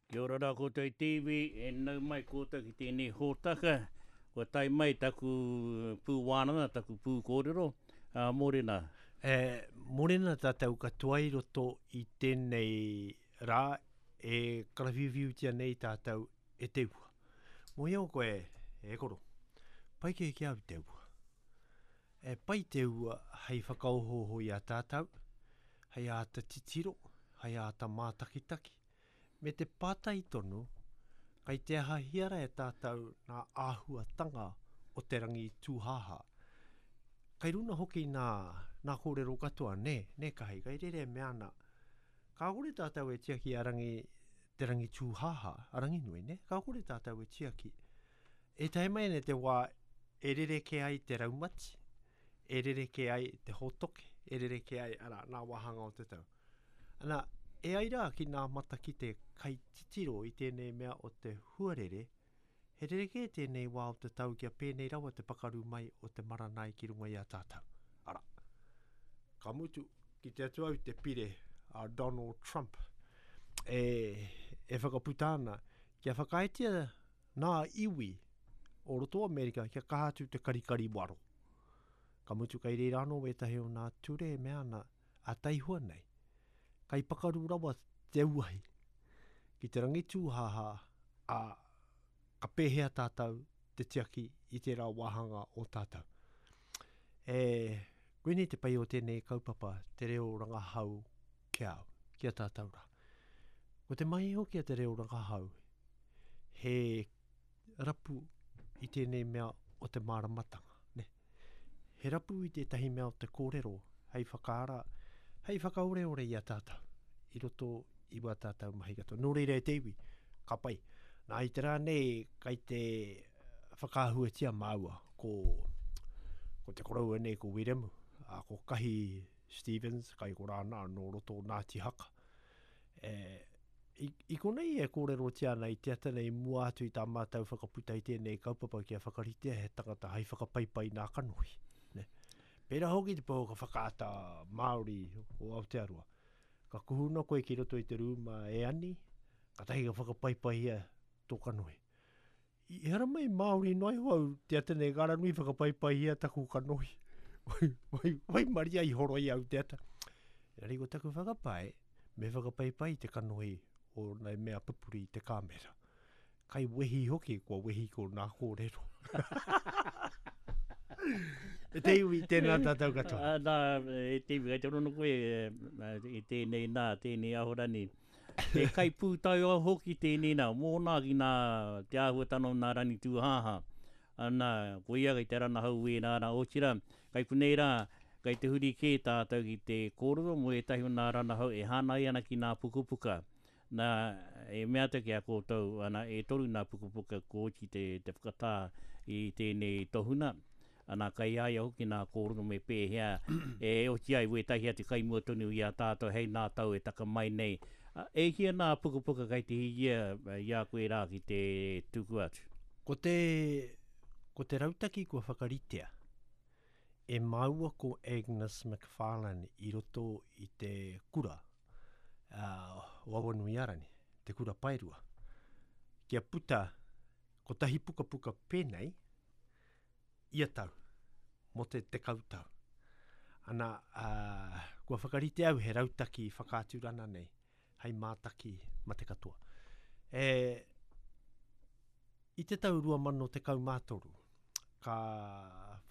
Kia ora rā koutou i te iwi, e nau mai koutou ki tēnei hōtaka. Kua tae mai taku pū wānanga, taku pū kōrero, ā, mōrena. E, mōrena tātou katoa i roto i tēnei rā e karawhiuwhiutia nei tātou e te ua. Mōhio koe, e koro, pai kē ki a au te ua. E pai te ua hei whakaohooho i a tātou, hei āta titiro, hei āta mātakitaki, Me te pātai tonu, kai te ahahia ra e tātou nā āhuatanga o te rangi tūhāhā? Kai runa hoki nā, nā kōrero katoa, nē, nē Kahi, kai rere e mea ana, kāore tātou e tiaki a rangi, te rangi tūhāhā, a Ranginui, nē, kāore tātou e tiaki. E tae mai ana te wā e rerekē ai te raumati, e rerekē ai te hōtoke, e rerekē ai, arā, nā wāhanga o te tau. Ana, e ai rā ki nā matakite kai titiro i tēnei mea o te huarere, he rerekē tēnei wā o te tau kia pēnei rawa te pakaru mai o te maranai ki runga i a tātou. Arā, ka mutu, kite atu au te pire a Donald Trump e, e whakaputa ana kia whakaaetia nā iwi o roto o Amerika kia kaha atu te karikari waro. Ka mutu kai reira anō wētahi o nā ture e mea ana a taihua nei, kai pakaru rawa te auahi ki te rangi tūhāhā, ā, ka pēhea tātou te tiaki i tērā wāhanga o tātou. E, koinei te pai o tēnei kaupapa, te reo rangahau ki a au, ki a tātou rā. Ko te mahi hoki a te reo rangahau, he rapu i tēnei mea o te māramatanga, ne? He rapu i tētahi mea o te kōrero hei whakaara, hei whakaoreore i a tātou i roto i wā tātou mahi katoa. Nō reira e te iwi, ka pai. Nā, i te rā nei, kai te whakaahuatia māua ko, ko te koroua nei ko Wiremu, a ko Kahi Stevens, kai ko rāna nō roto o Ngāti Haka. E, I, i konei e kōrerotia ana i te ata nei i mua atu i tā mātou whakaputa i tēnei kaupapa kia whakaritea he tangata hai whakapaipai nā kanohi. Ne? Pērā hoki te pouaka whakaata Māori o Aotearoa. Ka kuhuna koe ki roto i te rūma e ani, katahi ka whakapaipaihia tō kanohi. I haramai Māori noa iho au te ata nei, ka ranui whakapaipaihia taku kanohi. Wai, wai, waimaria i horoi au te ata. Engari ko taku whakapae, me whakapaipai te kanohi o nai mea pupuri i te kāmera. Kai wehi hoki, kua wehi ko nā kōrero. E te iwi, tēnā tātou katoa. Nā, e te iwi, kei te rono koe i tēnei nā, tēnei ahorani. He kaipūtaiao hoki tēnei nā, mōna ki nā te āhuatanga o nā Rangi Tūhāhā. Ana, ko ia kei te ranahau wēnā rā, otirā, kai konei rā, kei te huri kē tātou ki te kōrero mō ētahi o nā ranahau e hāngai ana ki nā pukapuka. Nā, e mea atu ki a koutou, ana, e toru nā pukapuka kua oti te, te whakatā i tēnei tohuna. Ana, kei a ia hoki nā kōrero me pēhea e oti ai wētahi atu kai mua tonu i a tātou hei nā tau e taka mai nei. E hia nā pukapuka kei te hiahia i a koe rā ki te tuku atu? Ko te, ko te rautaki kua whakaritea e māua ko Agnes McFarlane i roto i te kura o Awanuiārani, te kura paerua, kia puta kotahi pukapuka pēnei, ia tau, mō te 10 tau. Ana, ā, kua whakarite au he rautaki whakaaturana nei, hei mātaki ma te katoa. E, i te tau 2013, ka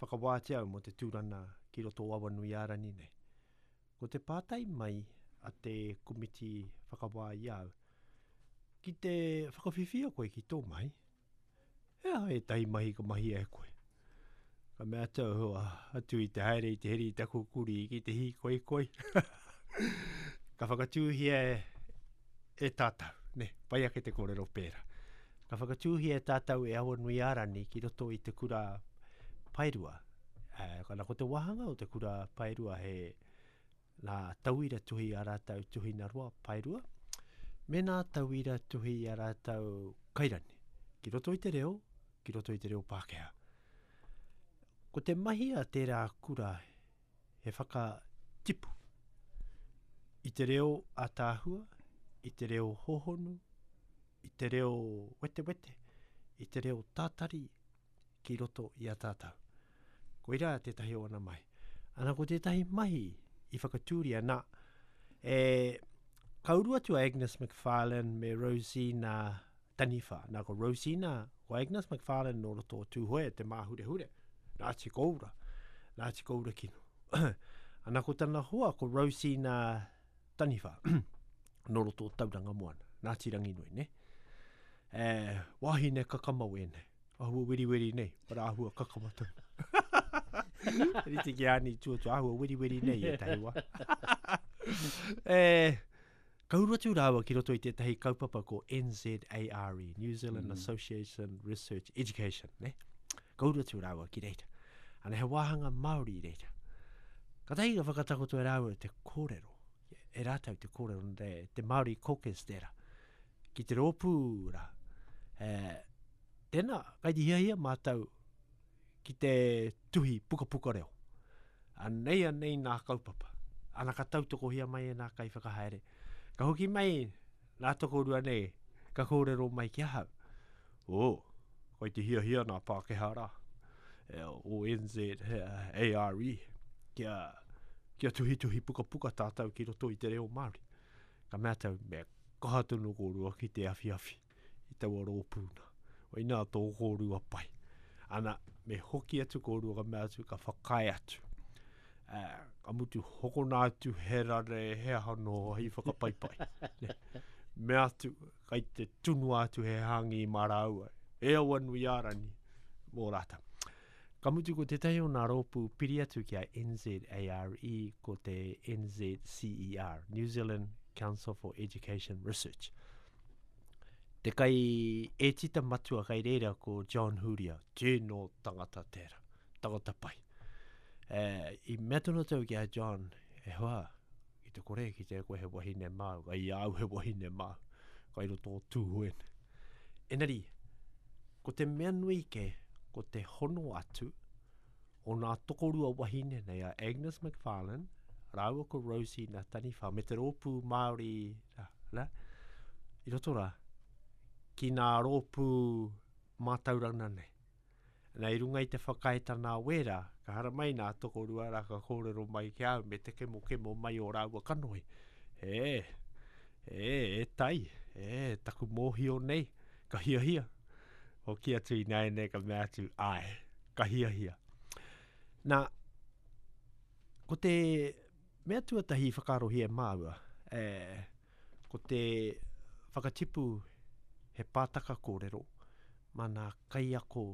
whakawātia au mō te tūrana ki roto o Awanuiārani nei. Ko te pātai mai a te komiti whakawā i a au, ki te whakawhiwhia koe ki tō mahi, He aha ētahi mahi ka mahia e koe? Ka mea atu au, atu i te haere i te heri i taku kurī ki te hīkoikoi. ka whakatūhia e, e tātou, ne, pai ake te kōrero pērā. Ka whakatūhia e tātou e Awanuiārani ki roto i te kura paerua. Eh, kana ko te wāhanga o te kura paerua he nā tauira tuhi a rātou tuhina roa paerua, me nā tauira tuhi a rātou kairani, ki roto i te reo, ki roto i te reo Pākehā. Ko te mahi a tērā kura he whakatipu i te reo ātaahua, i te reo hohonu, te reo wetewete, i te reo tātari ki roto i a tātou. Koirā tētahi o ana mahi. Ana ko tētahi mahi i whakatūria nā, e, ka uru atu a Agnes McFarlane me Rosina Taniwha. Nā ko Rosina, ko Agnes McFarlane nō roto o Tūhoe, te māhurehure, Ngāti Koura, Ngāti Koura kino. Ana ko tana hoa ko Rosina Taniwha, nō roto o Tauranga Moana, Ngāti Ranginui, ne? E, wāhine kakama wēnei. Ahua weriweri nei, para ahua kakama tonu. Rite ki āni tuatu, ahua weriweri nei e tahi wā. e, ka uru atu rāua ki roto i tētahi kaupapa ko NZARE, New Zealand mm. Association Research Education, ne? Ka uru atu rāua ki reira. Ana he wāhanga Māori i reira. Katahi ka whakatakoto e rāua te kōrero, e rātou te kōrero, te, te Māori Caucus tērā, ki te rōpū rā. E, tēnā, kai te hiahia mātou ki te tuhi pukapuka reo. Anei, anei nā kaupapa. Ana ka tautokohia mai e nā kaiwhakahaere. Ka hoki mai nā tokorua nei, ka kōrero mai ki ahau. Oh, kai te hiahia nā Pākehā rā, e, o NZARE, kia, kia tuhituhi pukapuka tātou ki roto i te reo Māori. Ka mea tau, me kaha tonu kōrua ki te awhiawhi i taua rōpū nā. Koinā tō kōrua pai. Ana, me hoki atu kōrua ka mea atu, ka whakaae atu. Uh, ka mutu hokona atu he rare, he aha no hei whakapaipai. Mea atu, kai te tunua atu he hāngī mā rāua, e Awanuiārani, mō rātou. Ka mutu ko tētahi o nā rōpū piri atu ki a NZARE ko te NZCER, New Zealand Council for Education Research. Te kai ētita matua kai reira ko John Huria, tēnō tangata tērā, tangata pai. E, i mea tonu atu ki a John, e hoa, ki te kore ki te koe he wahine māu, kai i au he wahine māu, kai roto o Tūhoe. Engari, ko te mea nui ke, ko te hono atu o nā tokorua wahine nei a Agnes McFarlane rāua ko Rosie nā Taniwha me te rōpū Māori rā, rā, i roto rā, ki nā rōpū mātauranga nei. Nā, i runga i te whakaaetana a Wēra, ka haramai nā tokorua rā ka kōrero mai ki a au me te kemokemo mai o rāua kanohi. E, e, e tai, e, taku mōhio nei, ka hiahia. Hoki atu ināianei ka mea atu, āe, ka hiahia. Nā, ko te mea tuatahi i whakaarohia e māua, e, ko te whakatipu he pātaka kōrero mā nā kaiako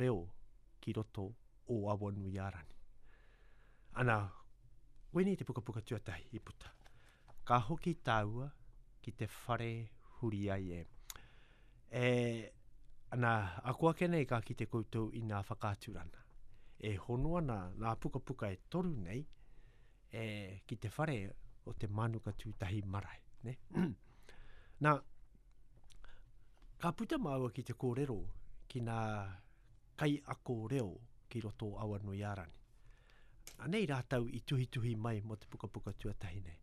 reo ki roto o Awanuiārani. Ana, koinei te pukapuka tuatahi i puta. Ka hoki tāua ki te whare huri ai e. E, ana, ako ake nei ka kite koutou i nā whakaaturana. E hono ana nā pukapuka e toru nei e, ki te whare o te Mānuka Tūtahi Marae. Ne? Nā, ka puta māua ki te kōrero ki nā kaiako reo ki roto o Awanuiārani. Anei rātou i tuhituhi mai mō te pukapuka tuatahi nei.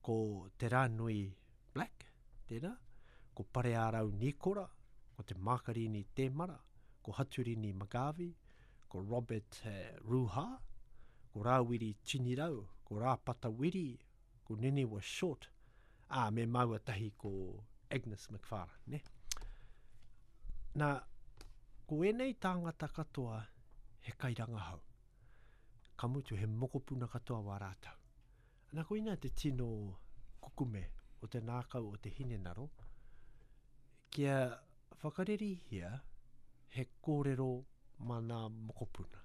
Ko Te Rānui Black, tērā, ko Pareārau Nīkora, ko Te Mākarini Tēmara, ko Haturini McGarvey, ko Robert Ruha, ko Rāwiri Tinirau, ko Rāpata Wiri, ko Niniwa Short, ā, me māua tahi ko Agnes McFarlane, ne? Nā, ko ēnei tāngata katoa he kairangahau. Ka mutu he mokopuna katoa wā rātou. Nā, koina te tino kukume o te nākau o te hinengaro, kia whakarerihia he kōrero mā nā mokopuna.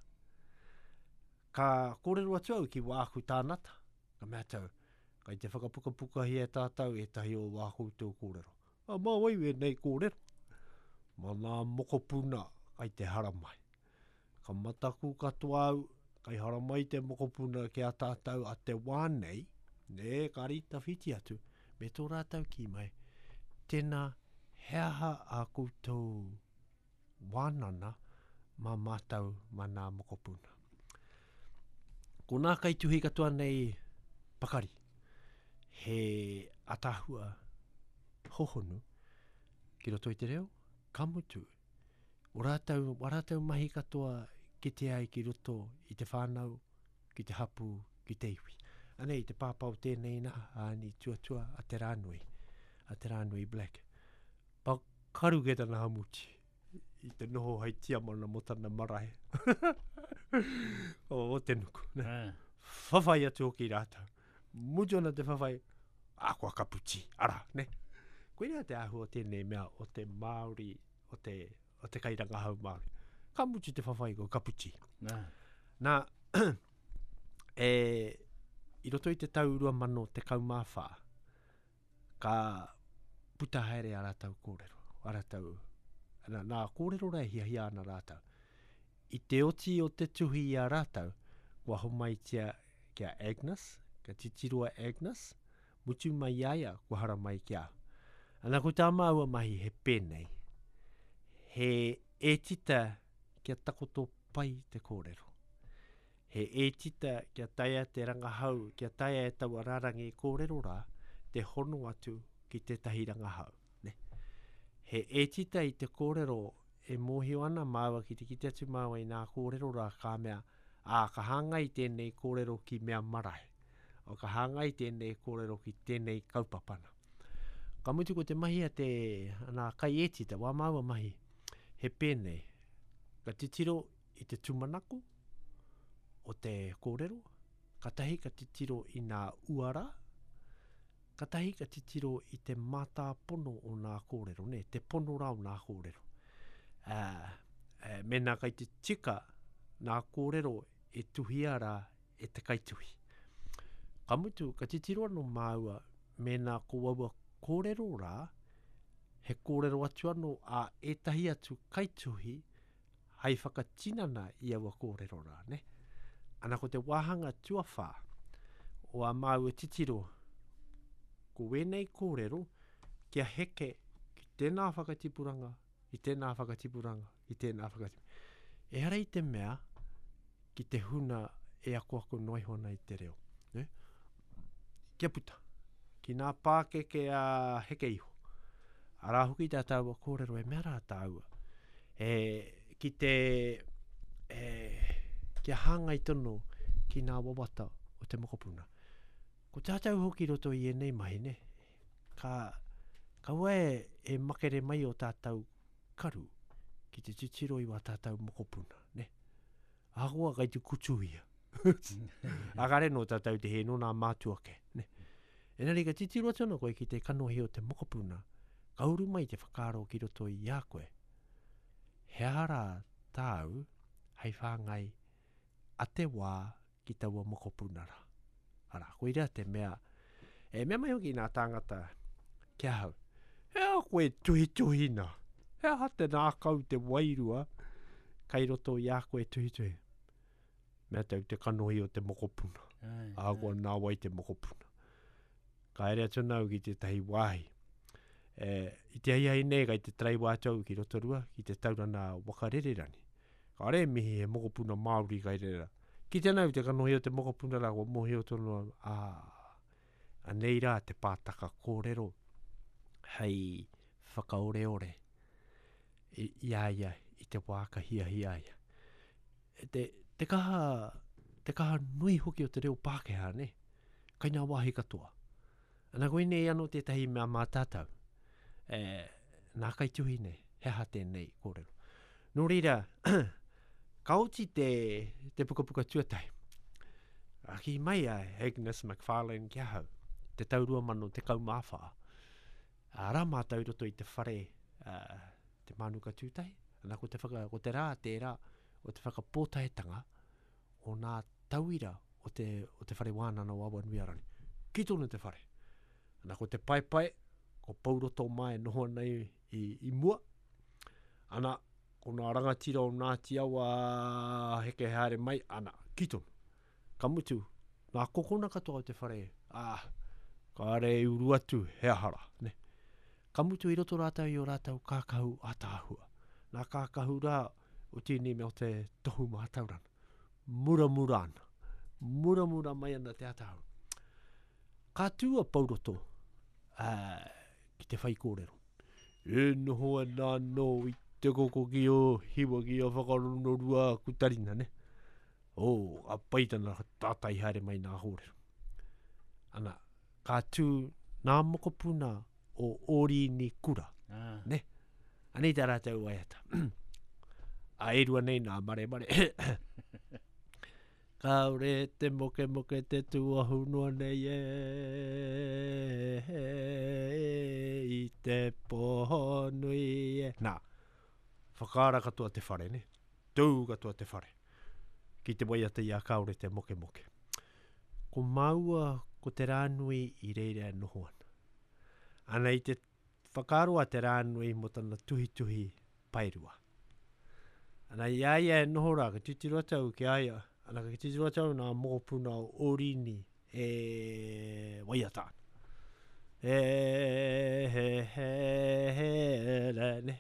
Ka kōrero atu au ki wāku tānata, ka mea atu au, kai te whakapukapukahia e tātou ētahi o wā koutou kōrero. A, mā wai wēnei kōrero? Mā nā mokopuna kai te haramai. Ka mataku katoa au, kai haramai te mokopuna ki a tātou a te wā nei, nē, ka rītawhiti atu, me tō rātou kī mai, tēnā, he aha ā koutou wānana mā mātou mā nā mokopuna. Ko nā kaituhi katoa nei pakari, he ataahua hohonu. ki roto i te reo, ka mutu, o rātou, wā rātou mahi katoa kitea ai ki roto i te whānau, ki te hapū, ki te iwi. Anei te pāpā o tēnei nā, a Ani Tuatua, a Te Rānui, a Te Rānui Black. Pakaru ke tana hamuti i te noho hei tiamana mō tana marae. o, o te nuku. Ne? Whawhai atu hoki rātou. Mutu ana te whawhai, a kua kaputi, ara, ne? Koirā te āhua o tēnei mea o te Māori, o te, o te kairangahau Māori. Ka mutu te whawhai ko kaputi. Nā. Nā, e, i roto i te tau 2014, ka puta haere a rātou kōrero, a rātou, nā, nā kōrero rā e hiahia ana rātou. I te oti o te tuhi i a rātou, kua homaitia ki a Agnes, ka titiro a Agnes, mutu mai i a ia, kua haramai ki a au. Ana ko tā māua mahi he pēnei, he ētita kia takoto pai te kōrero. He ētita kia taea te rangahau, kia taea e taua rārangi kōrero rā te hono atu ki tētahi rangahau. Ne? He ētita i te kōrero e mōhio ana māua ki te kite atu māua i nā kōrero rā ka mea, ā, ka hāngai tēnei kōrero ki mea marae, o ka hāngai tēnei kōrero ki tēnei kaupapa nā. Ka mutu ko te mahi a te, nā kaiētita, wā māua mahi, he pēnei, ka titiro i te tūmanako o te kōrero, katahi ka titiro i nā uara, katahi ka titiro i te mātāpono o nā kōrero, nē, te pono rā o nā kōrero. Ā, e, mēnā kai te tika nā kōrero e tuhia rā e te kaituhi. Ka mutu, ka titiro anō māua mēnā ko aua kōrero rā, he kōrero atu anō a ētahi atu kaituhi hai whakatinana i aua kōrero rā, nē? Ana ko te wāhanga tuawhā o ā māua titiro, ko wēnei kōrero kia heke ki tēnā whakatipuranga, ki tēnā whakatipuranga, ki tēnā whakatipuranga. Ehara i te mea ki te huna e akoako noa iho ana i te reo. Ne? Kia puta, ki nā pākeke a heke iho. Arā hoki tā tāua kōrero e mea rā tāua. E, ki te, e, kia hāngai tonu ki nā wawata o te mokopuna. Ko tātou hoki roto i ēnei mahi, ne? Ka, kaua e, e makere mai o tātou karu ki te titiro i wā tātou mokopuna, ne? Ahakoa kai te kutuhia. A kare nō tātou te hē, nō nā mātua ke, ne? Engari ka titiro atu ana koe ki te kanohi o te mokopuna, ka uru mai te whakaaro ki roto i a koe. He aha rā tāu hei whāngai a te wā ki taua mokopuna rā? Arā, koirā te mea, e mea mai hoki nā tāngata ki ahau, he aha koe tuhituhi nā? He aha te nākau, te wairua kai roto i a koe tuhituhi? Mea tau te kanohi o te mokopuna. Ahakoa nā wai te mokopuna. Ka haere atu ana au ki tētahi wāhi. E, i te ahiahi nei, kai te taraiwa atu au ki Rotorua, ki te taurana waka rererangi. Kāre e mihi he mokopuna Māori kai reira. Kite ana au te kanohi o te mokopuna rā, kua mōhio tonu au, ā, anei rā te pātaka kōrero hei whakaoreore i, i a ia i te wā ka hiahia ia. Te, te kaha, te kaha nui hoki o te reo Pākehā, ne? Kai ngā wāhi katoa. Ana koinei anō tētahi mea mā tātou. E, nā kaituhi nei, he aha tēnei kōrero. Nō reira, ka oti te, te pukapuka tuatahi. A kī mai a Agnes McFarlane ki ahau, te tau 2014. Arā mātou i roto i te whare, uh, te Mānuka Tūtahi, ana ko te, whaka, ko te rā tērā o te whakapōtaetanga o nā tauira o te, o te whare wānana o Awanuiarangi. Ki tonu te whare. Ana ko te paepae, ko Pouroto mā e noho ana i, i, i mua. Ana, ko nā rangatira o Ngāti Awa heke haere mai, ana, ki tonu. Ka mutu, ngā kokona katoa o te whare, ā, kāre i uru atu he aha rā, ne? Ka mutu i roto rātou i ō rātou kākahu ātaahua. Nā kākahu rā o tēnei mea o te tohu mātauranga. Muramura ana. Muramura mai ana te ātaahua. Ka tū a Pouroto ā, ki te whaikōrero. E noho ana anō i te koko ki o hiwa ki a whakaronorua aku tarina, ne? Oh, ka pai tana tātai haere mai nā kōrero. Ana, ka tū nā mokopuna o Ōrini Kura, ah. ne? Anei tā rātou waiata. A e rua nei nā maremare. Kāore te mokemoke te tuahu noa nei e i te pō nui e. Nā, whakaara katoa te whare, ne? Tū katoa te whare. Ki te waiata i a Kāore te mokemoke. Ko māua ko Te Rānui i reira e noho ana. Ana i te whakaaro a Te Rānui mō tana tuhituhi paerua. Ana i a ia e noho rā, ka titiro atu au ki a ia, ana ka titiro atu au nā mokopuna o Ōrini e waiata ana. E he he he re ne.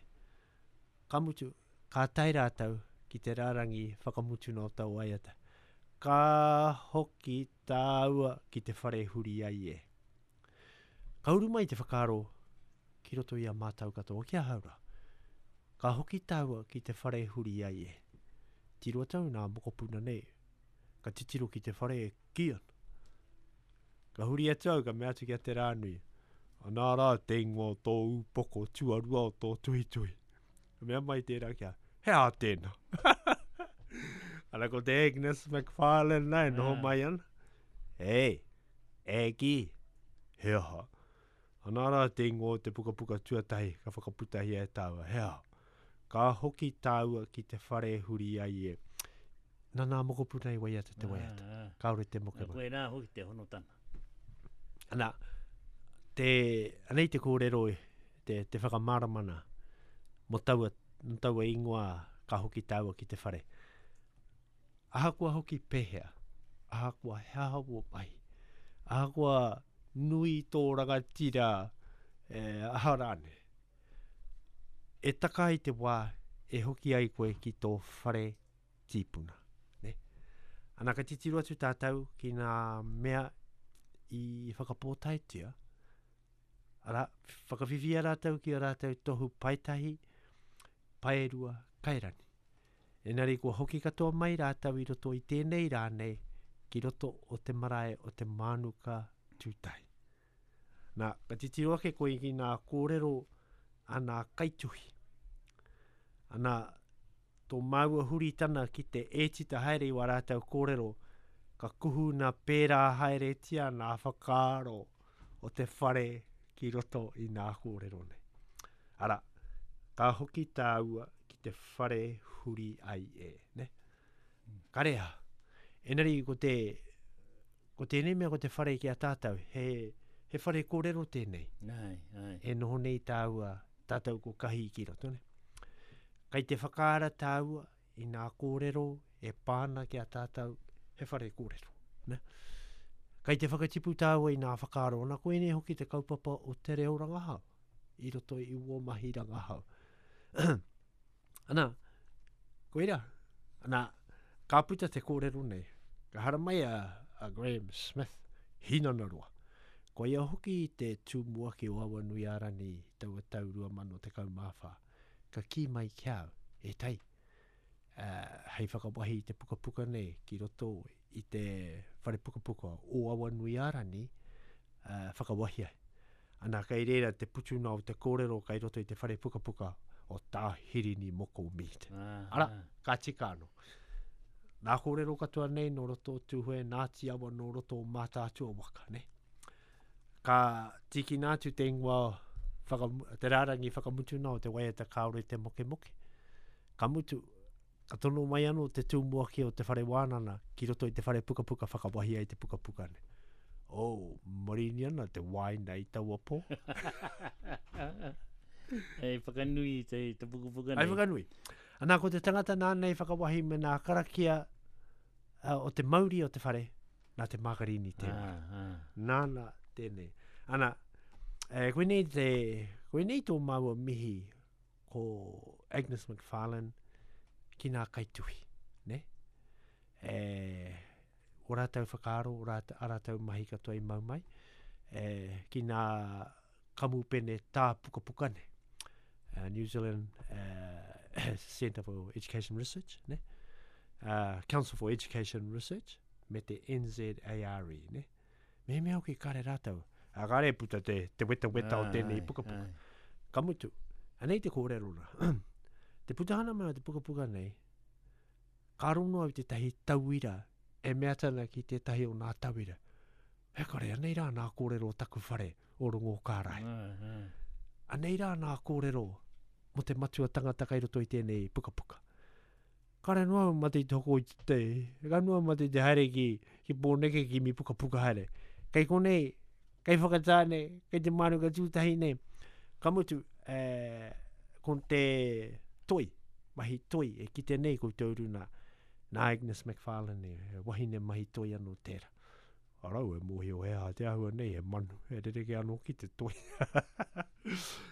Ka mutu, ka tae rātou ki te rārangi whakamutuna o taua waiata. Ka hoki tāua ki te whare huri ai e. Ka uru mai te whakaaro ki roto i a mātou katoa, ki ahau rā. Ka hoki tāua ki te whare huri ai e. Tiro atu au nā mokopuna nei, ka titiro ki te whare e kī ana. Ka huri atu au, ka mea atu ki a Te Rānui, Anā rā te ingoa o tō ūpoko tuarua o tō tuhituhi. Ka mea mai tērā ki a, He aha tēnā? Ana ko te Agnes McFarlane nā e noho mai ana. Hei, e kī, he aha? Anā rā te ingoa o te pukapuka tuatahi ka whakaputahia e tāua, he aha? Ka hoki tāua ki te whare huri ai e. Nā nā mokopuna i waiata te waiata. Ah, ah. Kāore te mokemoke. Koe rā hoki te honotanga. Ana, te, anei te kōrero, te, te whakamāramana mō taua, mō taua ingoa ka hoki tāua ki te whare. Ahakoa hoki pēhea, ahakoa he aha wō mahi, ahakoa nui tō rangatira, e, aha rānei, e taka ai te wā e hoki ai koe ki tō whare tīpuna. Ne? Ana ka titiro atu tātou ki ngā mea i whakapōtaetia, arā, whakawhiwhia rātou ki a rātou tohu paetahi, paerua, kairani. Engari kua hoki katoa mai rātou i roto i tēnei rā nei ki roto o te marae o te Mānuka Tūtahi. Nā, ka titiro ake koe ki ngā kōrero a ngā kaituhi. Ana, tō māua huritana ki te ētita haere i wā rātou kōrero, ka kuhuna pērā haeretia ngā whakaaro o te whare ki roto i ngā kōrero nei. Arā, ka hoki tāua ki te whare huri ai e, ne? Kare aha. Engari ko te, ko tēnei mea ko te whare ki a tātou, he, he whare kōrero tēnei. Ai, ai. E noho nei tāua, tātou ko Kahi ki roto, ne? Kai te whakaara tāua i ngā kōrero e pā ana ki a tātou, he whare kōrero. Ne? Kai te whakatipu tāua i ngā whakaaro, ana koinei hoki te kaupapa o te reo rangahau i roto i wō mahi rangahau. ana, koira, ana, ka puta te kōrero nei, ka haramai a, a Graham Smith, Hinanaroa. Ko ia hoki te tumuaki o Awanuiārani i taua tau 2014. Ka kī mai ki a au, e tai, uh, hei whakawahi i te pukapuka nei ki roto i te whare pukapuka o Awanuiārani, uh, whakawahi ai. Ana, kei reira te putuna o te kōrero kei roto i te whare pukapuka o Tā Hirini Moko Mead. Ah, Ara, ah. ka tika anō. Nā kōrero katoa nei nō roto o Tūhoe, Ngāti Awa nō roto o Mātaatua waka, ne? Ka tīkina atu te ingoa, whaka, te rārangi whakamutuna o te waiata kāore te mokemoke. Ka mutu, ka tono mai anō te tumuaki o te whare wānana ki roto i te whare pukapuka whakawahi ai te pukapuka nei. Oh, marini ana te wāina i taua pō. Hei whakanui te, te pukapuka nei. Hei whakanui. Anā, ko te tangata nāna i whakawahi me nā karakia uh, o te mauri o te whare, nā te Mākarini tēnā. Ah, ah. Nāna tēnei. Ana, eh, koinei, te, koinei tō māua mihi ko Agnes McFarlane ki nā kaituhi, ne? E, o rātou whakaaro, o rātou, a rātou mahi katoa i mau mai, e, ki nā kamupene tā pukapuka nei. Uh, New Zealand uh, Centre for Education Research, ne? Uh, Council for Education Research, me te NZARE, ne? Mehemea hoki kare rātou, a kare puta te, te weta weta o tēnei pukapuka. Ka mutu, anei te kōrero rā. te putahana mai o te pukapuka nei, ka rongo au tētahi tauira e mea tana ki tētahi o nā tauira. He kore, anei rā nā kōrero o taku whare o Rongo Kārae. Anei rā nā kōrero mo te matua tangata kai roto i tēnei pukapuka. Kare noa au mate i te hoko i te, ka noa mate i te haere ki, ki Pōneke ki mi pukapuka haere. Kei konei, kei Whakatāne, kei te Mānuka tūtahi nei. Ka mutu, e, ko te toi, mahi toi e kite nei koutou runa, nā Agnes McFarlane, he wahine mahi toi anō tērā. Arau e mōhio he aha te āhua nei, he manu, he rerekē anō ki te toi.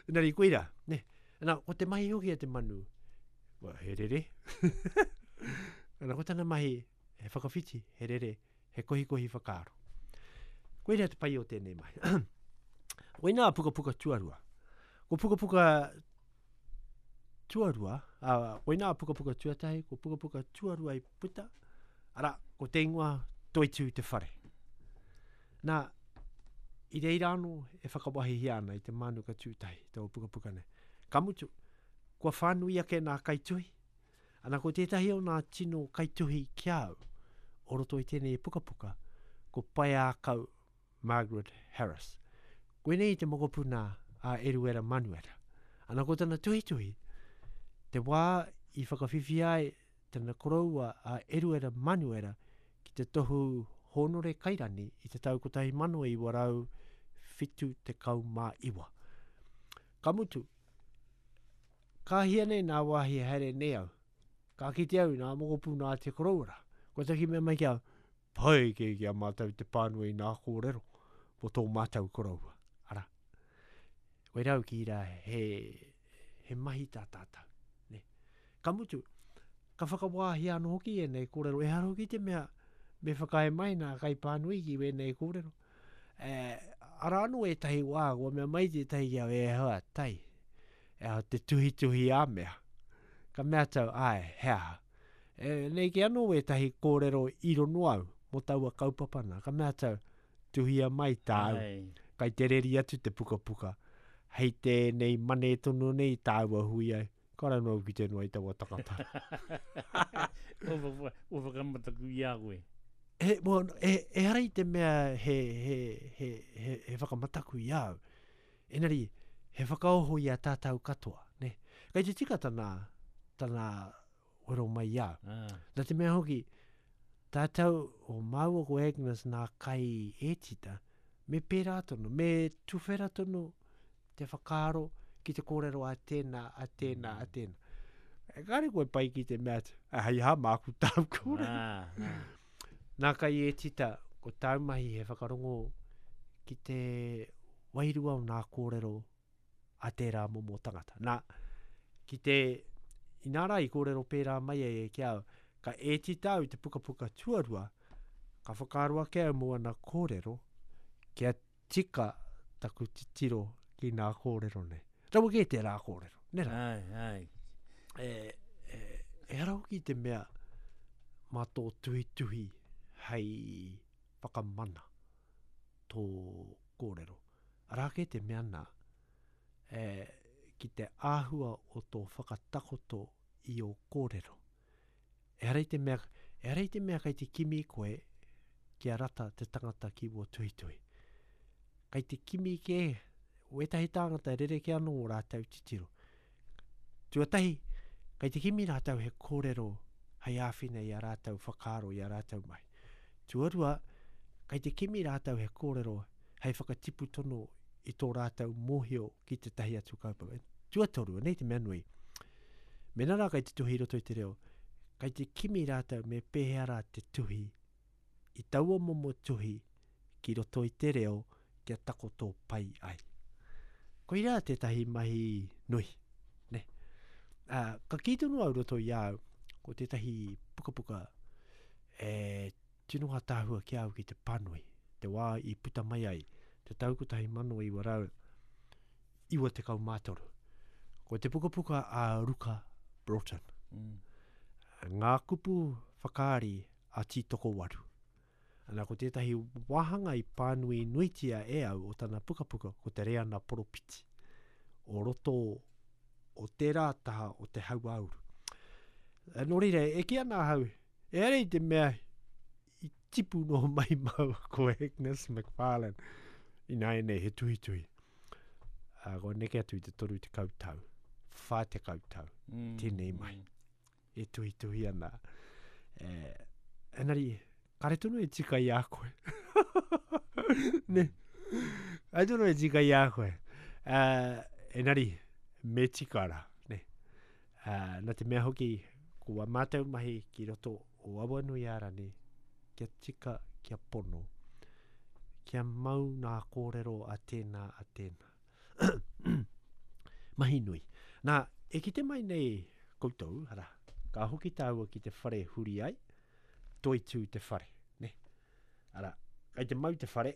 Engari koira, ne? Nā, ko te mahi hoki a te manu, well, he rere. Ana, ko tana mahi, he whakawhiti, he rere, he kohikohi whakaaro. Koira te pai o tēnei mahi. Koinā a pukapuka tuarua. Ko pukapuka tuarua, ā, koinā a pukapuka tuatahi, ko pukapuka tuarua i puta, arā, ko te ingoa Toitū te whare. Nā, i reira anō e whakawahihia ana i te mānuka tūtahi, taua pukapuka nei. Ka mutu, kua whānui ake nā kaituhi, ana ko tētahi o nā tino kaituhi ki a au, o roto i tēnei pukapuka, ko Paeākau Margaret Harris. Koinei te mokopuna a Eruera Manuera. Ana ko tana tuhituhi, te wā i whakawhiwhia ai tana koroua a Eruera Manuera ki te tohu hōnore kairani i te tau 1979. Ka mutu, ka hia nei nā wāhi haere nei au, ka kite au i nā mokopuna a te koroua rā. Kua taki mea mai ki au, Pai kē ki a mātou te pānui i nā kōrero mō tō mātou koroua, arā. Koirā au ki rā he, he mahi tā tātou, nē. Ka mutu, ka whakawāhia anō hoki ēnei kōrero, ehara hoki te mea me whakaae mai nā kaipānui ki wēnei kōrero. E, arā anō ētahi wā, kua mea mai tētahi ki au, e hoa, tai, e aha te tuhituhi a mea. Ka mea tau, āe, he aha. E, nei kē anō wētahi kōrero i rono au mō taua kaupapa nā. Ka mea atu au, tuhia mai tāu, kai te reri atu te pukapuka. Hei tēnei mane tonu nei tāua hui ai. Ka ranu au ki te noa i taua tangata. Kua whakamataku i a koe. He, well, e, ehara i te mea he, he, he, he, he whakamataku i a au. Engari, he whakaoho i a tātou katoa, ne? Kei te tika tana, tana wero mai i a au. Ah. Nā te mea hoki, tātou o māua ko Agnes nā kai ētita, me pērā tonu, me tuwhera tonu te whakaaro ki te kōrero a tēnā, a tēnā, a tēnā. E kāre koe pai ki te mea atu, hei hā māku tāu kōrero. Ah, ah. Nā kai ētita, ko tāu mahi he whakarongo ki te wairua o nā kōrero a tērā momo tangata. Nā, ki te, inā rā i kōrero pērā mai ai e ki au, ka ētita au i te pukapuka tuarua, ka whakaaro ake au mō ana kōrero, kia tika taku titiro ki nā kōrero nei. Rawa kē tērā kōrero, nē rā? Ai, ai. E, e, ehara hoki te mea mā tō tuhituhi hei whakamana tō kōrero. Arā kē te mea nā, e, ki te āhua o tō whakatakoto i ō kōrero. Ehara i te mea, ehara i te mea kei te kimi koe kia rata te tangata ki wō tuhituhi. Kei te kimi kē, wētahi tāngata rerekē anō ō rātou titiro. Tuatahi, kei te kimi rātou he kōrero hei āwhina i a rātou whakaaro, i a rātou mahi. Tuarua, kei te kimi rātou he kōrero hei whakatipu tono i tō rātou mōhio ki tētahi atu kaupapa. Tuatoru, anei te mea nui, mēnā rā kei te tuhi i roto i te reo, kei te kimi rātou me pēhea rā te tuhi i taua momo tuhi ki roto i te reo kia takoto pai ai. Koirā tētahi mahi nui. Ne? Ā, ka kī tonu au roto i a au, ko tētahi pukapuka e tino ātaahua ki a au ki te pānui, te wā i puta mai ai, te tau 1993. Ko te pukapuka a Ruka Broughton. Mm. Ngā kupu whakaari a Tītokowaru. Ana ko tētahi wāhanga i pānui nuitia e au o tana pukapuka ko te Reana Poropiti o roto o tērā taha o te hauāuru. Nō reira, e kī ana ahau, ehara i te mea i tipu noa mai māua ko Agnes McFarlane ināianei he tuhituhi. Uh, kua neke atu i te 30 tau, 40 tau, mm, tēnei mai. Mm. E tuhituhi ana. E, engari, kare tonu e tika i a koe. ne? Kare tonu e tika i a koe. Uh, engari, me tika rā. Ne? Uh, na te mea hoki, ko wā mātou mahi ki roto o Awanuiārani, kia tika, kia pono, kia mau nā kōrero a tēnā, a tēnā. Mahi nui. Nā, e kite mai nei koutou, arā, ka hoki tāua ki te whare huri ai, toitū te whare, ne? Arā, kei te mau te whare,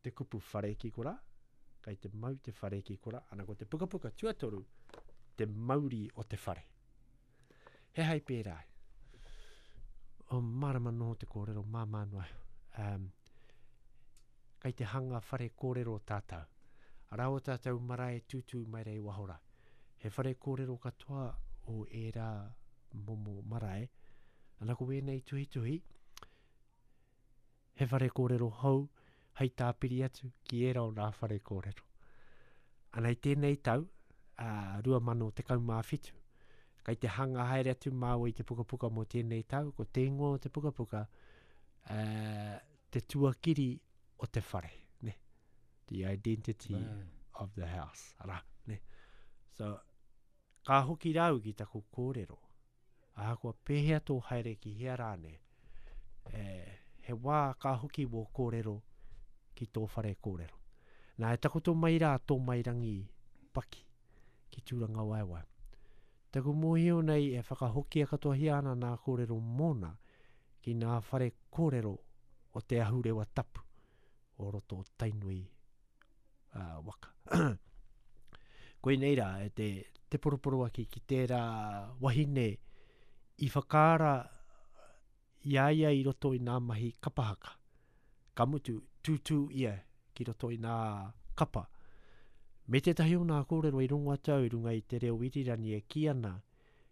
te kupu whare ki korā, kei te mau te whare ki korā, ana ko te pukapuka tuatoru, te mauri o te whare. He hai pērā. O mārama noho te kōrero, māmā noa. Um, kei te hanga whare kōrero tātou. Arā o tātou marae tūtū mai rei waho rā. He whare kōrero katoa o ērā momo marae. Ana ko wēnei tuhituhi, he whare kōrero hou hei tāpiri atu ki ērā o nā whare kōrero. Ana i tēnei tau, ā, 2017, kei te hanga haere atu māua i te pukapuka mō tēnei tau, ko te ingoa o te pukapuka, ā, te tuakiri o te whare, ne? The identity mm. of the house, arā, ne? So, ka hoki rāu ki taku kōrero, Ahakoa pēhea tō haere ki hea rānei, e, he wā ka hoki wō kōrero ki tō whare kōrero. Nā, e takoto mai rā tō Mairangi paki ki Tūrangawaewae. Taku mōhio nei e whakahokia katoahia ana nā kōrero mōna ki nā whare kōrero o te ahurewa tapu o roto o Tainui uh, waka. Koinei rā, e te, te poroporoaki ki tērā wahine i whakaara i a ia i roto i nā mahi kapa haka. Ka mutu, tūtū ia ki roto i nā kapa. Me tētahi o nā kōrero i rongo atu au i runga i te reo irirangi e kī ana,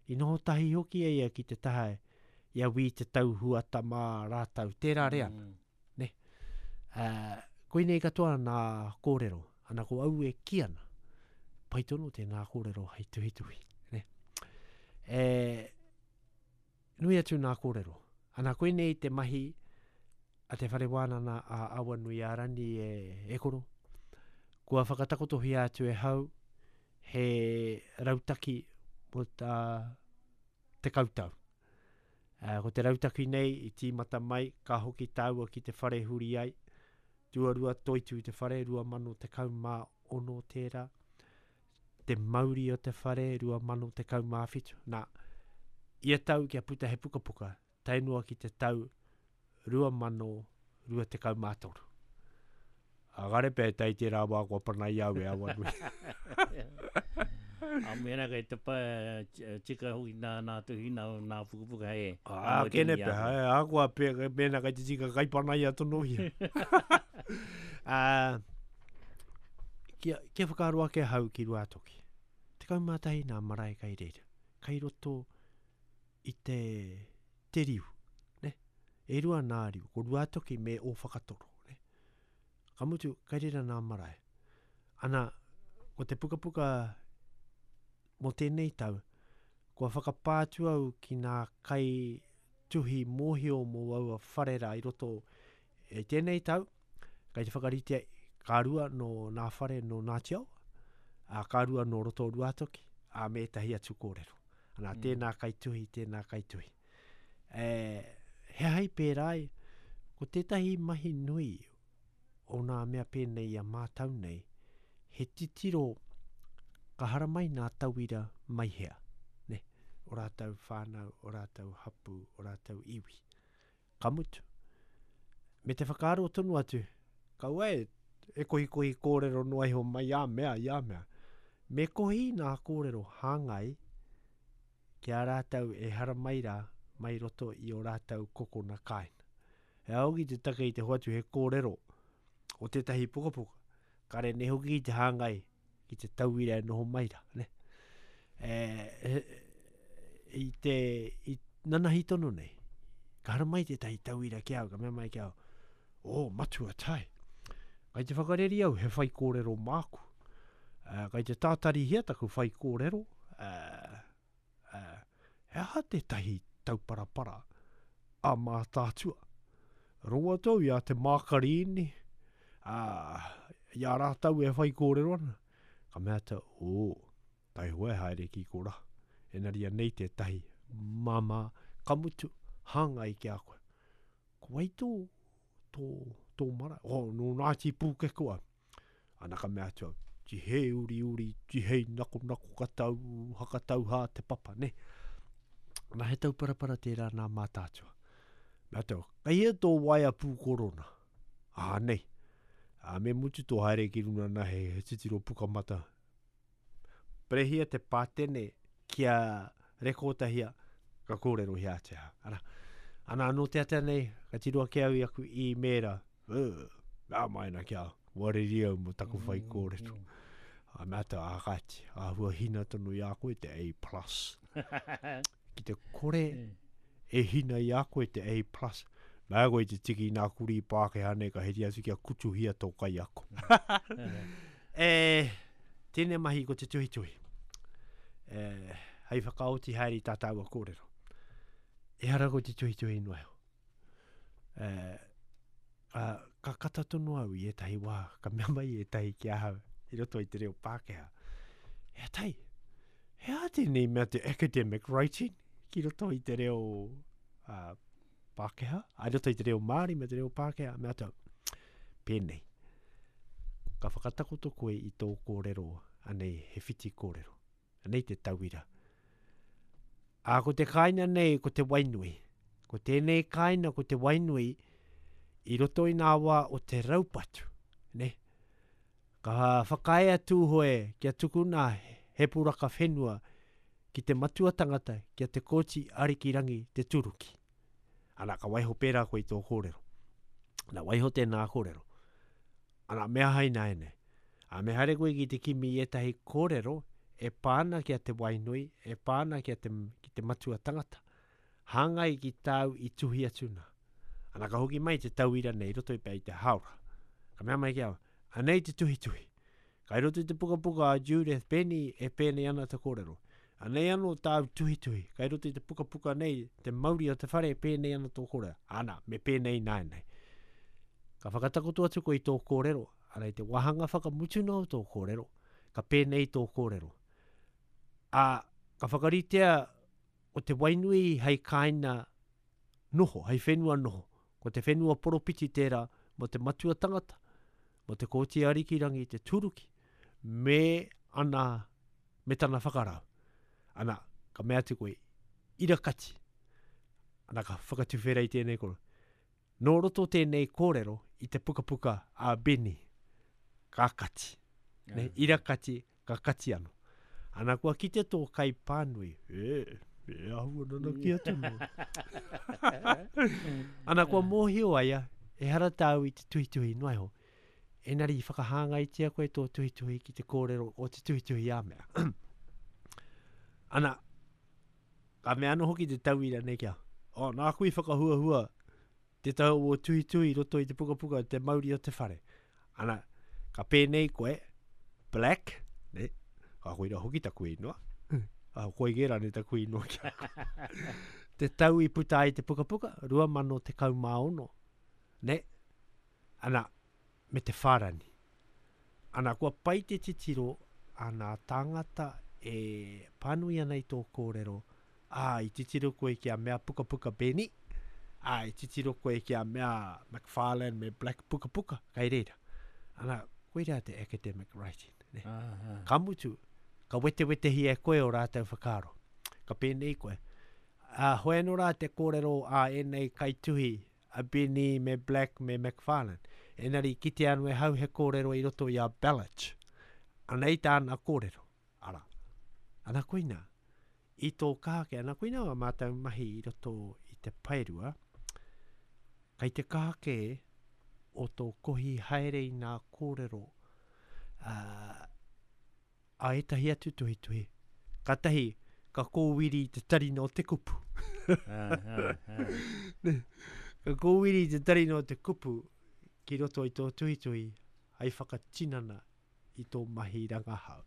i noho tahi hoki e ia ki te taha i a Wī Te Tau Huata mā rātau, tērā reanga. Mm. Ne? Uh, koinei katoa nā kōrero, ana ko au e ki ana, pai tonu tēnā kōrero hei tuhituhi. Ne? E, nui atu nā kōrero. Ana koinei te mahi a te whare wānana a Awanuiārani e, e koro. Kua whakatakotohia atu e hau he rautaki mō tā 10 tau. Ko te rautaki nei i tīmata mai, ka hoki tāua ki te whare huri ai, tuarua toitū te whare, 2016 tērā, te mauri o te whare, 2017. Nā, ia tau kia puta he pukapuka, tae noa ki te tau 2023. A kare pea e tae tērā wā kua panai au e Awanui. A mēnā kei te pa, tika hoki nā, nā tuhi, nā, nā pukapuka hei. A, kene pea, e, a kua pe, mēnā kei te tika kai panai a tonohia. a, kia, kia whakaaro ake ahau ki Ruātoki. 11 nā marae kai reira. Kai roto i te, te riu. Ne? E rua nā riu, ko Ruātoki me Ōwhakatoro. Ne? Ka mutu, kai reira nā marae. Ana, ko te pukapuka mō tēnei tau, kua whakapā atu au ki nā kai tuhi mōhio mō aua whare rā i roto i tēnei tau, kei te whakaritea ka rua nō nā whare nō Ngāti Awa, ā, ka rua nō roto o Ruātoki, ā, me ētahi atu kōrero. Ana, mm. tēnā kaituhi, tēnā kaituhi. E, he hai pērā ai, ko tētahi mahi nui o nā mea pēnei i a mātau nei, he titiro ka haramai nā tauira mai hea, ne? O rātou whānau, o rātou hapū, o rātou iwi. Ka mutu. Me te whakaaro tonu atu, kaua e, e kohikohi kōrero noa iho mai a mea, i a mea. Me kohi nā kōrero hāngai ki a rātou e haramai rā mai roto i ō rātou kokona kāinga. He aha hoki te take i te hoatu he kōrero o tētahi pukapuka, kare nei hoki i te hāngai ki te tauira e noho mai rā, ne? E, e, i te, i nanahi tonu nei, ka haramai tētahi tauira ki au, ka mea mai ki au, o, matua tai, kai te whakareri au he whaikōrero māku, uh, kai te tātarihia taku whaikōrero, uh, uh, he aha tētahi tauparapara a Mātaatua? Rongo atu au i a Te Mākarīni, ā, i a rātou e whaikōrero ana. Ka mea atu, ō, taihoa e haere ki korā. Engari anei tētahi māmā, ka mutu, hāngai ki a koe. Ko wai tō, tō, tō marae? Oh, nō Ngāti Pūkeko au. Ana ka mea atu au, tihei uriuri, tihei nakonako ka tau, hakatau hā te papa, ne? Ana he tauparapara tērā nā Mātaatua. Mea atu au, kei hea tō waea pūkorona? Ā, nei. Ā, me mutu tō haere ki runa nā he, he titiro pukamata. Perehia te pātene kia rekōtahia, ka kōrerohia atu ahau. Ana, ana anō te ata nei, ka tiro ake au i aku īmēra, mea mai ana ki a au, wareri au mō taku whai kōrero. A mea atu, a kāti, āhua hina tonu i a koe te A plus. Ki te kore e hina i a koe te A plus, mea koe te tiki i nā kurī Pākehā nei ka heri atu kia kutuhia tō kaiako. E, tēnei mahi ko te tuhituhi. E, hei whakaoti haere i tā tāua kōrero. Ehara ko te tuhituhi noa iho. E, a, ka kata tonu au i ētahi wā, ka mea mai ētahi ki ahau i roto i te reo Pākehā. He tai, he aha tēnei mea te academic writing ki roto i te reo uh, Pākehā, i roto i te reo Māori me te reo Pākehā, mea atu au, pēnei. Ka whakatakoto koe i tō kōrero, anei he whiti kōrero. Anei te tauira. Ā, ko te kāina nei ko Te Wainui. Ko tēnei kāina ko Te Wainui i roto i nā wā o te raupatu, ne? Ka whakaae a Tūhoe kia tukuna he puraka whenua ki te matua tangata ki a Te Kooti Arikirangi Te Turuki. Ana, ka waiho pērā koe i tō kōrero. Ana, waiho tēnā kōrero. Ana, me aha ināianei? Ā, me haere koe ki te kimi i ētahi kōrero e pā ana ki a Te Wainui, e pā ana ki a te, ki te matua tangata. Hāngai ki tāu i tuhi atu nā. Ana, ka hoki mai te tauira nei i roto i pea i te hāora. Ka mea mai ki a au, anei te tuhituhi. Kai roto i te pukapuka a Judith Benny e pēnei ana te kōrero. Anei anō tāu tuhituhi, kai roto i te pukapuka nei, te mauri o te whare e pēnei ana tō kōrero. Ana, me pēnei ināianei. Ka whakatakoto atu koe i tō kōrero, ana i te wāhanga whakamutuna o tō kōrero, ka pēnei tō kōrero. Ā, ka whakaritea o Te Wainui hei kāina noho, hei whenua noho. Ko te whenua poropiti tērā mō te matua tangata, mō Te Kooti Arikirangi Te Turuki, me ana, me tana whakarau. Ana, ka mea atu koe, ira kati. Ana, ka whakatuwhera i tēnei koro. Nō roto tēnei kōrero i te pukapuka a Benny, ka kati. Ne, ira kati, ka kati ano. Ana kua kite tō kai pānui, e, e ahua nanakia atu mō. Ana kua mōhio aia, ehara tāu i te tuhituhi noa iho, enari i whakahāngaitia koe tō tuhituhi ki te kōrero o te tuhituhi a mea. Ana, Ka mea anō hoki te tauira nei kia, Oh, nāku i whakahuahua tētahi o ō tuhituhi i roto i te pukapuka Te Mauri o te Whare. Ana, ka pēnei koe, Black, ne? Ka koira hoki taku ingoa. Ah, koe kē rānei taku ingoa ki a koe. Te tau i puta ai te pukapuka, 2016, ne? Ana, me te whārani. Ana, kua pai te titiro a nā tāngata e pānui ana i tō kōrero, ā, i titiro koe ki a Mea Pukapuka Benny, ā, i titiro koe ki a Mea McFarlane me Black Pukapuka, kei reira. Ana, koirā te academic writing, ne? Ka mutu, ka wetewetehia e koe ō rātou whakaaro. Ka pēnei koe, ā, hoi anō rā te kōrero a ēnei kaituhi a Benny me Black me McFarlane. Engari kitea anō e hau he kōrero i roto i a Belich. Anei tāna kōrero. Ana koina, i tō kaha ake, ana koina wā mātou mahi i roto i te paerua, kei te kaha kē o tō kohi haere i nā kōrero ā, a ētahi atu tuhituhi. Kātahi, ka kōwiri i te tarina o te kupu. Ka kōwiri i te tarina o te kupu ki roto i tō tuhituhi hei whakatinana i tō mahi rangahau.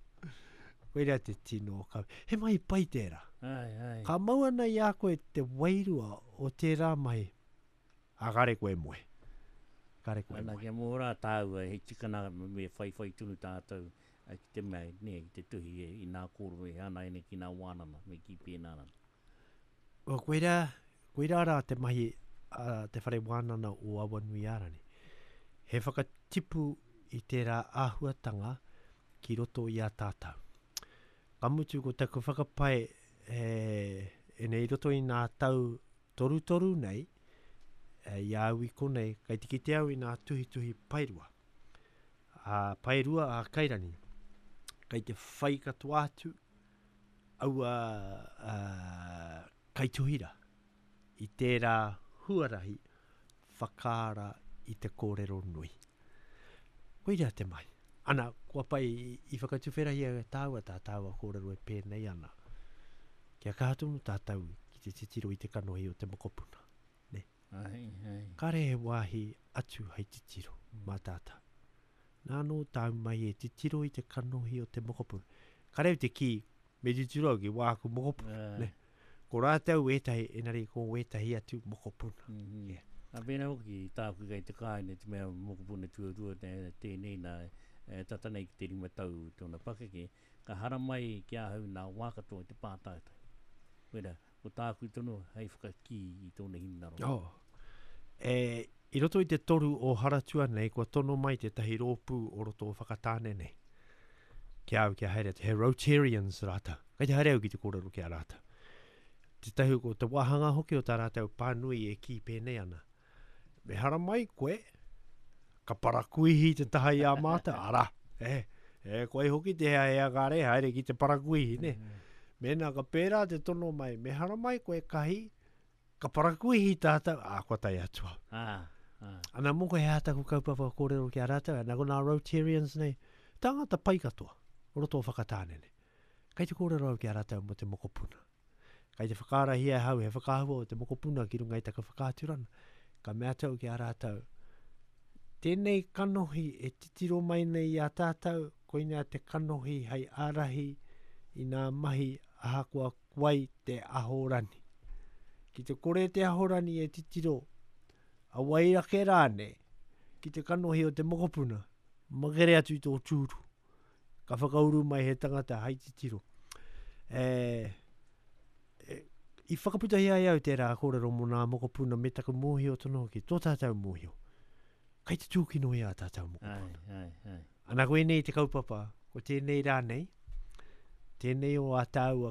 Koirā te tino kawe. He mahi pai tērā. Ai, ai. Ka mau ana i a koe te wairua o tērā mahi, ā, kāre koe e moe. Kāre koe e Ana moe. kia mō rā tāua, he tikana me whaiwhai tonu tātou ki te mea, nē, ki te tuhi i nā kōrero e hana ai nei ki nā wānanga, me kī pēnā rā. Well, koirā, koirā rā te mahi a Te Whare Wānana o Awanuiārani. He whakatipu i tērā āhuatanga ki roto i a tātou. Ka mutu ko taku whakapae e, e nei roto i nā tau torutoru nei, e, i a au i konei, kei te kite au i nā tuhituhi paerua. A paerua a Kairani, kei te whai katoa atu aua uh, kaituhi rā i tērā huarahi whakaara i te kōrero nui. Koirā te mahi. Ana, kua pai i whakatuwherahia e tāua tā tāua kōrero e pēnei ana. Kia kaha tonu tātou ki te titiro i te kanohi o te mokopuna. Ne? Ai, ai. Kāre he wāhi atu hei titiro mā tātou. Nā anō tāu mai e titiro i te kanohi o te mokopuna. Kāre au te kī, me titiro au ki wāku mokopuna. Ai. Ne? Ko rātou ētahi, engari ko wētahi atu mokopuna. Mm -hmm. Yeah. A pēnā hoki tāku kei te kāinga te mea mokopuna tuarua tēnei nā, e tata nei ki te rima tau tōna pakeke, ka haramai ki ahau nā wā katoa i te pātaitai. Koirā, ko tāku tonu hei whakakī i tōna hinengaro. Oh. E, i roto i te toru o Haratua nei, kua tono mai tētahi rōpū o roto o Whakatāne nei. Ki a au kia haere atu, he Rotarians rātou. Kei te haere au ki te kōrero ki a rātou. Tētahi ko te wāhanga hoki o tā rātou pānui e kī pēnei ana. Me haramai koe, ka parakuihi te taha i a mātou, arā, e, e koe hoki te hea hea kāre, haere ki te parakuihi, ne? Mm. Mēnā ka pērā te tono mai, me haramai koe kahi, ka parakuihi tātou, ā, kua tae atu au. Ah, ah. Ana mō koe he aha taku kaupapa kōrero ki a rātou, ana ko nā Rotarians nei, tāngata pai katoa, o roto o Whakatāne nei. Kei te kōrero au ki a rātou mō te mokopuna. Kei te whakaarahia e ahau he whakaahua o te mokopuna ki runga i taku whakaaturana. Ka mea atu au ki a rātou, Tēnei kanohi e titiro mai nei i a tātou, koinā te kanohi hei ārahi i nā mahi ahakoa wai te ahorani. Ki te kore te ahorani e titiro, a wai ake rānei, ki te kanohi o te mokopuna, makere atu i tō tūru. Ka whakauru mai he tangata hai titiro. E, e, i whakaputahia ai au tērā kōrero mō nā mokopuna me taku mōhio tonu hoki, tō tātou mōhio. Kai te tūkino i ā tātou mokopuna. Ai, ai, ai. Ana ko ēnei te kaupapa, ko tēnei rā nei, tēnei o ā tāua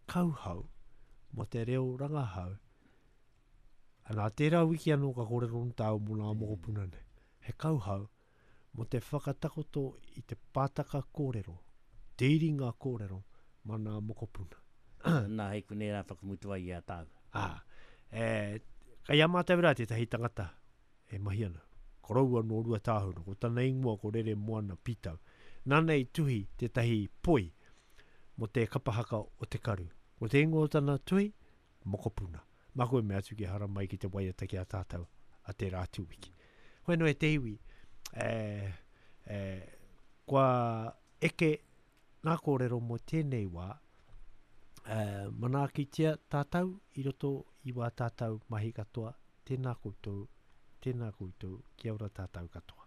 kauhau mō te reo rangahau. Ana, tērā wiki anō ka kōrero nō tāua mō nā mokopuna nei. He kauhau mō te whakatakoto i te pātaka kōrero, te iringa kōrero mā nā mokopuna. Nā, hei konei rā whakamutu ai i a tāua. Ā, e, kei a mātou rā tētahi tangata e mahi ana, koroua nō Ruatāhuna, ko tana ingoa ko Reremoana Pitau. Nāna i tuhi tētahi poi mō te kapa haka o Te Karu. Ko te ingoa o tana tuhi, mokopuna. Māku e mea atu kia haramai ki te waiata ki a tātou a tērā atu wiki. Hoi anō e te iwi, e, e, kua eke ngā kōrero mō tēnei wā, e, manaakitia tātou i roto i wā tātou mahi katoa, tēnā koutou, tēnā koutou, kia ora tātou katoa.